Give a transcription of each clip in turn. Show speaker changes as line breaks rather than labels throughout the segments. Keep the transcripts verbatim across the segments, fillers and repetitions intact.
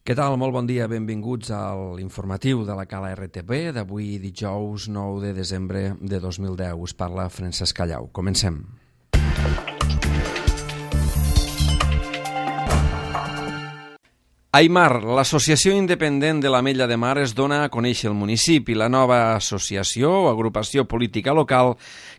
Què tal? Molt bon dia, benvinguts a l'informatiu de la Cala R T V d'avui dijous nou de desembre de dos mil deu. Us parla Francesc Callau. Comencem. Aimar, l'associació independent de l'Ametlla de Mar, es dona a conèixer el municipi. La nova associació o agrupació política local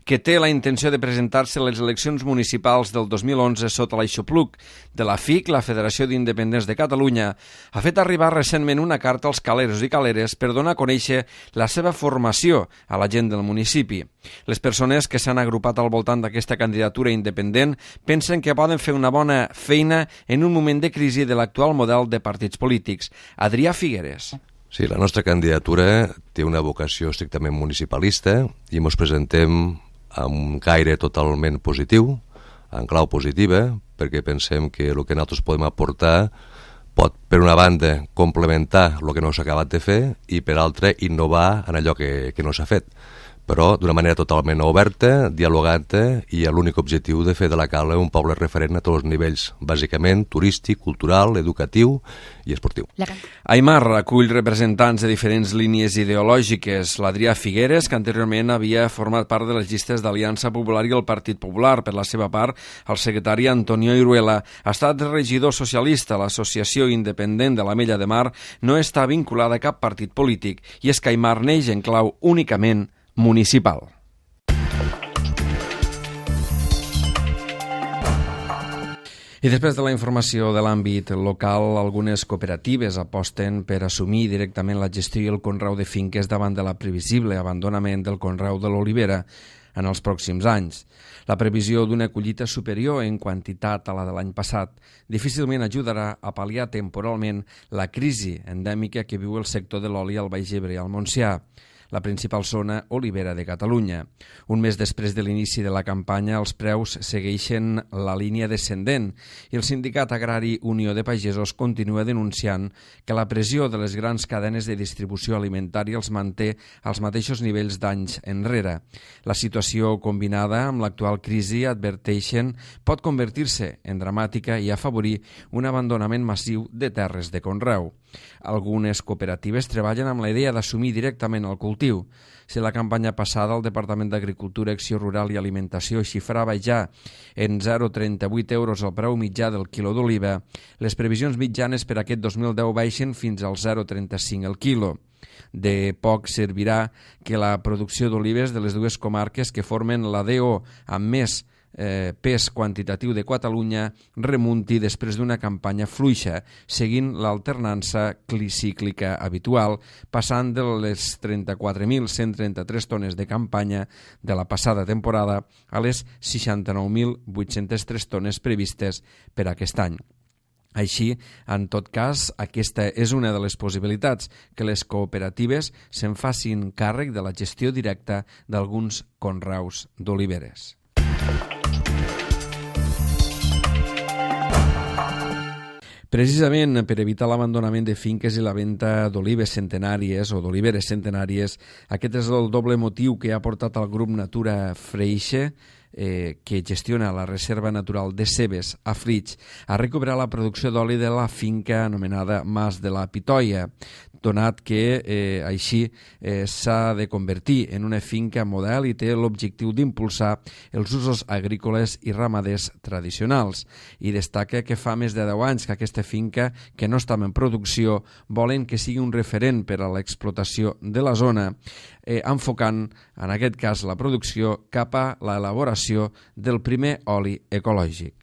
que té la intenció de presentar-se a les eleccions municipals del dos mil onze sota l'aixopluc de la F I C, la Federació d'Independents de Catalunya, ha fet arribar recentment una carta als caleros i caleres per donar a conèixer la seva formació a la gent del municipi. Les persones que s'han agrupat al voltant d'aquesta candidatura independent pensen que poden fer una bona feina en un moment de crisi de l'actual model de partits polítics. Adrià Figueres.
Sí, la nostra candidatura té una vocació estrictament municipalista i ens presentem amb un caire totalment positiu, en clau positiva, perquè pensem que el que nosaltres podem aportar pot, per una banda, complementar el que no s'ha acabat de fer i, per altra, innovar en allò que, que no s'ha fet, però d'una manera totalment oberta, dialogante i amb l'únic objectiu de fer de la Cala un poble referent a tots els nivells, bàsicament turístic, cultural, educatiu i esportiu.
Aimar acull representants de diferents línies ideològiques. L'Adrià Figueres, que anteriorment havia format part de les llistes d'Aliança Popular i el Partit Popular. Per la seva part, el secretari Antonio Iruela ha estat regidor socialista. L'associació independent de l'Ametlla de Mar no està vinculada a cap partit polític i és que Aimar neix en clau únicament municipal. I després de la informació de l'àmbit local, algunes cooperatives aposten per assumir directament la gestió i el conreu de finques davant de la previsible abandonament del conreu de l'olivera en els pròxims anys. La previsió d'una collita superior en quantitat a la de l'any passat difícilment ajudarà a pal·liar temporalment la crisi endèmica que viu el sector de l'oli al Baix Ebre i al Montsià, la principal zona olivera de Catalunya. Un mes després de l'inici de la campanya, els preus segueixen la línia descendent i el sindicat agrari Unió de Pagesos continua denunciant que la pressió de les grans cadenes de distribució alimentària els manté als mateixos nivells d'anys enrere. La situació combinada amb l'actual crisi, adverteixen, pot convertir-se en dramàtica i afavorir un abandonament massiu de terres de conreu. Algunes cooperatives treballen amb la idea d'assumir directament el cultiu. Si la campanya passada el Departament d'Agricultura, Acció Rural i Alimentació xifrava ja en zero coma trenta-vuit euros el preu mitjà del quilo d'oliva, les previsions mitjanes per aquest dos mil deu baixen fins al zero coma trenta-cinc el quilo. De poc servirà que la producció d'olives de les dues comarques que formen la D O amb més Eh, pes quantitatiu de Catalunya remunti després d'una campanya fluixa, seguint l'alternança ciclíca habitual, passant de les trenta-quatre mil cent trenta-tres tones de campanya de la passada temporada a les seixanta-nou mil vuit-centes tres tones previstes per aquest any. Així, en tot cas, aquesta és una de les possibilitats, que les cooperatives se'n facin càrrec de la gestió directa d'alguns conreus d'oliveres. Precisament per evitar l'abandonament de finques i la venda d'olives centenàries o d'oliveres centenàries, aquest és el doble motiu que ha portat al grup Natura Freixe, eh, que gestiona la Reserva Natural de Cebes a Flix, a recuperar la producció d'oli de la finca anomenada Mas de la Pitoia, donat que eh, així eh, s'ha de convertir en una finca model i té l'objectiu d'impulsar els usos agrícoles i ramaders tradicionals. I destaca que fa més de deu anys que aquesta finca, que no estava en producció, volen que sigui un referent per a l'explotació de la zona, eh, enfocant, en aquest cas, la producció cap a l'elaboració del primer oli ecològic.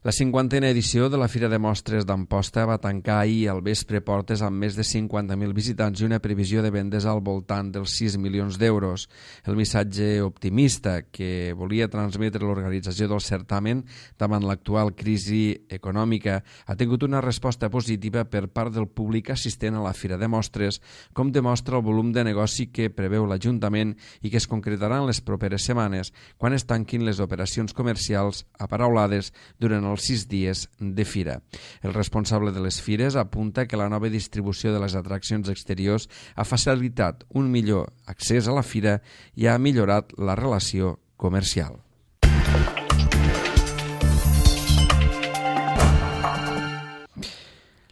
La cinquantena edició de la Fira de Mostres d'Amposta va tancar ahir al vespre portes amb més de cinquanta mil visitants i una previsió de vendes al voltant dels sis milions d'euros. El missatge optimista que volia transmetre l'organització del certamen davant l'actual crisi econòmica ha tingut una resposta positiva per part del públic assistent a la Fira de Mostres, com demostra el volum de negoci que preveu l'Ajuntament i que es concretarà en les properes setmanes, quan es tanquin les operacions comercials aparaulades durant els sis dies de fira. El responsable de les fires apunta que la nova distribució de les atraccions exteriors ha facilitat un millor accés a la fira i ha millorat la relació comercial.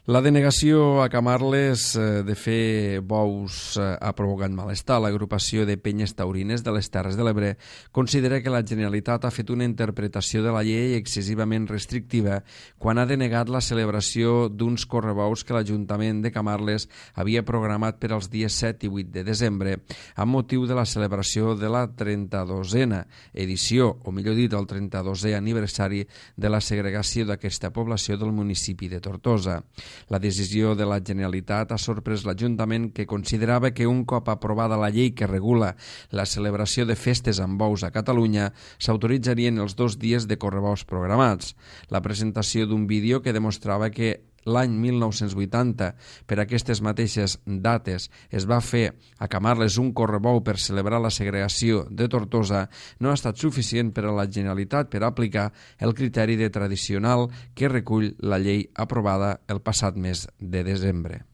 La denegació a Camarles de fer bous ha provocat malestar. L'agrupació de penyes taurines de les Terres de l'Ebre considera que la Generalitat ha fet una interpretació de la llei excessivament restrictiva quan ha denegat la celebració d'uns correbous que l'Ajuntament de Camarles havia programat per als dies set i vuit de desembre amb motiu de la celebració de la trenta-dosena edició, o millor dit, el trenta-dosè aniversari de la segregació d'aquesta població del municipi de Tortosa. La decisió de la Generalitat ha sorprès l'Ajuntament, que considerava que un cop aprovada la llei que regula la celebració de festes amb bous a Catalunya, s'autoritzarien els dos dies de correbous programats. La presentació d'un vídeo que demostrava que l'any mil nou-cents vuitanta, per aquestes mateixes dates, es va fer a Camarles un correbou per celebrar la segregació de Tortosa, no ha estat suficient per a la Generalitat per aplicar el criteri de tradicional que recull la llei aprovada el passat mes de desembre.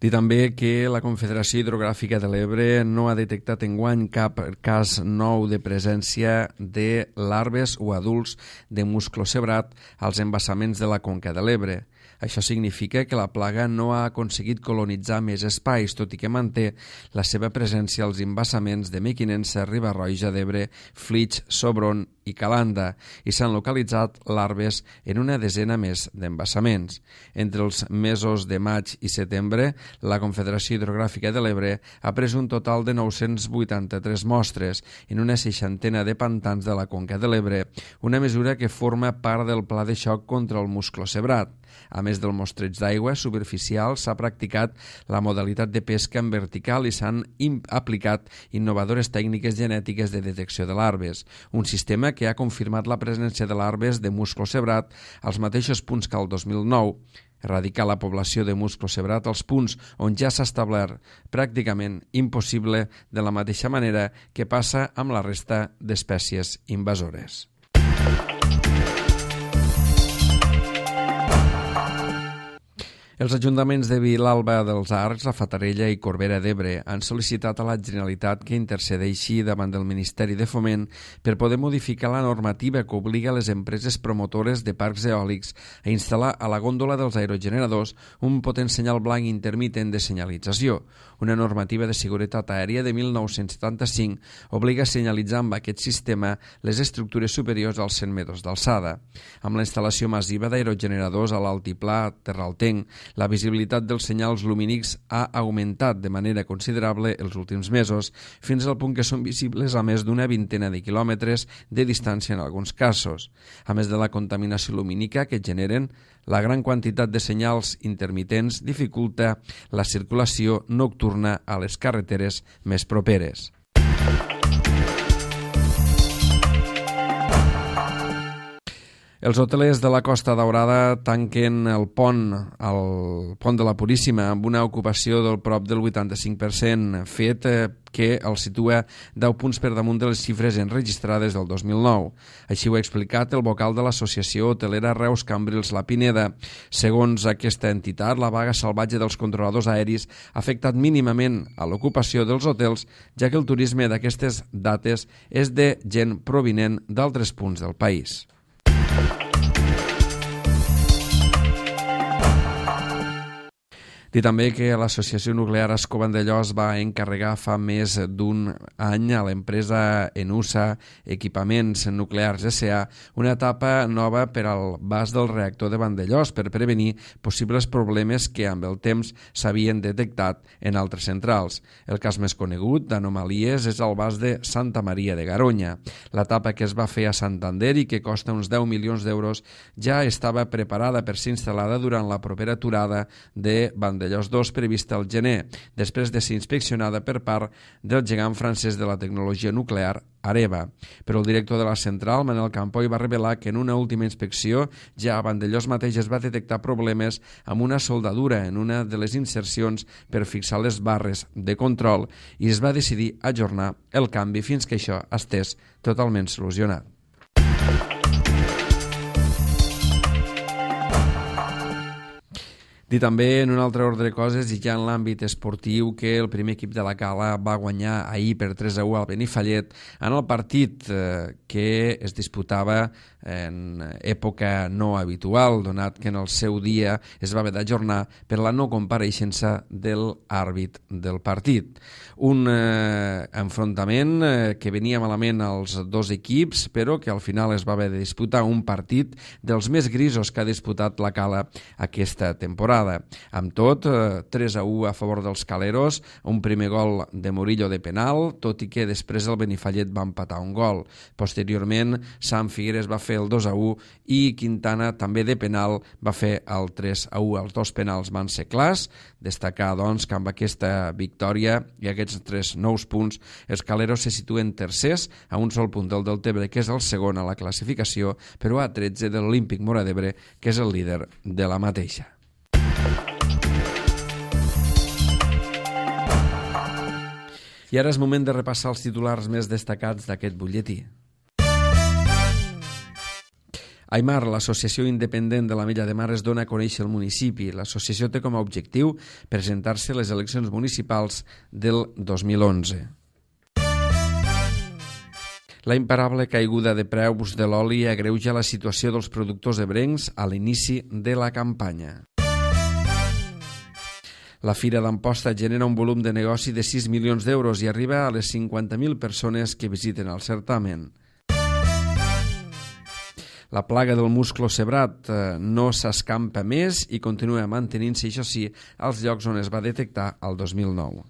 Dir també que la Confederació Hidrogràfica de l'Ebre no ha detectat enguany cap cas nou de presència de larves o adults de musclocebrat als embassaments de la conca de l'Ebre. Això significa que la plaga no ha aconseguit colonitzar més espais, tot i que manté la seva presència als embassaments de Mequinensa, Riba-roja d'Ebre, Flix, Sobron i Calanda, i s'han localitzat larves en una desena més d'embassaments. Entre els mesos de maig i setembre, la Confederació Hidrogràfica de l'Ebre ha pres un total de nou-cents vuitanta-tres mostres en una seixantena de pantans de la conca de l'Ebre, una mesura que forma part del pla de xoc contra el musclocebrat. A més del mostreig d'aigua superficial, s'ha practicat la modalitat de pesca en vertical i s'han aplicat innovadores tècniques genètiques de detecció de larves, un sistema que ha confirmat la presència de larves de musclocebrat als mateixos punts que el dos mil nou, erradicar la població de musclocebrat als punts on ja s'ha establert pràcticament impossible, de la mateixa manera que passa amb la resta d'espècies invasores. Els ajuntaments de Vilalba dels Arcs, la Fatarella i Corbera d'Ebre han sol·licitat a la Generalitat que intercedeixi davant del Ministeri de Foment per poder modificar la normativa que obliga les empreses promotores de parcs eòlics a instal·lar a la gòndola dels aerogeneradors un potent senyal blanc intermitent de senyalització. Una normativa de seguretat aèria de mil nou-cents setanta-cinc obliga a senyalitzar amb aquest sistema les estructures superiors als cent metres d'alçada. Amb la instal·lació massiva d'aerogeneradors a l'altiplà terraltenc, la visibilitat dels senyals lumínics ha augmentat de manera considerable els últims mesos, fins al punt que són visibles a més d'una vintena de quilòmetres de distància en alguns casos. A més de la contaminació lumínica que generen, la gran quantitat de senyals intermitents dificulta la circulació nocturna a les carreteres més properes. Els hotelers de la Costa Daurada tanquen el pont, el pont de la Puríssima, amb una ocupació del prop del vuitanta-cinc per cent, fet que el situa deu punts per damunt de les xifres enregistrades del dos mil nou. Així ho ha explicat el vocal de l'Associació Hotelera Reus Cambrils La Pineda. Segons aquesta entitat, la vaga salvatge dels controladors aeris ha afectat mínimament a l'ocupació dels hotels, ja que el turisme d'aquestes dates és de gent provinent d'altres punts del país. Dir també que l'Associació Nuclear Ascó Vandellòs va encarregar fa més d'un any a l'empresa Enusa Equipaments Nuclears S A una etapa nova per al vas del reactor de Vandellòs per prevenir possibles problemes que amb el temps s'havien detectat en altres centrals. El cas més conegut d'anomalies és el vas de Santa Maria de Garoña. L'etapa que es va fer a Santander i que costa uns deu milions d'euros ja estava preparada per ser instal·lada durant la propera aturada de Vandellòs Vandellòs dos prevista al gener, després de ser inspeccionada per part del gegant francès de la tecnologia nuclear, Areva. Però el director de la central, Manel Campoy, va revelar que en una última inspecció ja a Vandellòs mateix es va detectar problemes amb una soldadura en una de les insercions per fixar les barres de control i es va decidir ajornar el canvi fins que això estés totalment solucionat. Dir també, en un altre ordre de coses, i ja en l'àmbit esportiu, que el primer equip de la Cala va guanyar ahir per tres a u al Benifallet en el partit eh, que es disputava en època no habitual, donat que en el seu dia es va haver d'ajornar per la no compareixença del àrbit del partit. Un eh, enfrontament eh, que venia malament als dos equips, però que al final es va haver de disputar un partit dels més grisos que ha disputat la Cala aquesta temporada. Amb tot, eh, tres a u a favor dels caleros, un primer gol de Murillo de penal, tot i que després el Benifallet va empatar un gol. Posteriorment, Sam Figueres va fer el dos a u i Quintana, també de penal, va fer el tres a u. Els dos penals van ser clars. Destacar, doncs, que amb aquesta victòria i aquests tres nous punts, els caleros se situen tercers a un sol punt del Deltebre, que és el segon a la classificació, però a tretze de l'Olímpic Móra d'Ebre, que és el líder de la mateixa. I ara és moment de repassar els titulars més destacats d'aquest butlletí. Aimar, l'associació independent de la Mella de Mar, es dona a conèixer el municipi. L'associació té com a objectiu presentar-se a les eleccions municipals del dos mil onze. La imparable caiguda de preus de l'oli agreuja la situació dels productors ebrencs a l'inici de la campanya. La Fira d'Amposta genera un volum de negoci de sis milions d'euros i arriba a les cinquanta mil persones que visiten el certamen. La plaga del musclo cebrat no s'escampa més i continua mantenint-se, això sí, als llocs on es va detectar el dos mil nou.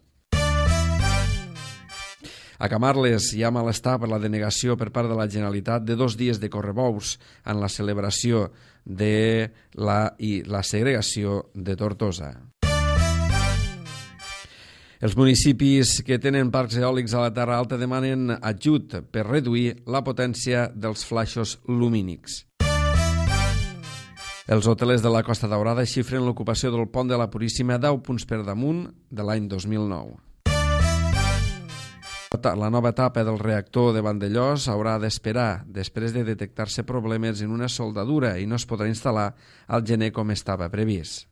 A Camarles hi ha malestar per la denegació per part de la Generalitat de dos dies de correbous en la celebració de la, i la segregació de Tortosa. Els municipis que tenen parcs eòlics a la Terra Alta demanen ajut per reduir la potència dels flaixos lumínics. Els hotelers de la Costa Daurada xifren l'ocupació del pont de la Puríssima deu punts per damunt de l'any dos mil nou. La nova etapa del reactor de Vandellós haurà d'esperar després de detectar-se problemes en una soldadura i no es podrà instal·lar al gener com estava previst.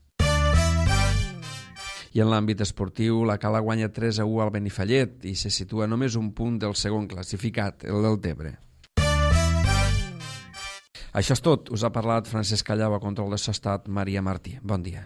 I en l'àmbit esportiu, la Cala guanya tres a u al Benifallet i se situa només un punt del segon classificat, el Deltebre. Això és tot. Us ha parlat Francesc Callau, a control de Sostat, Maria Martí. Bon dia.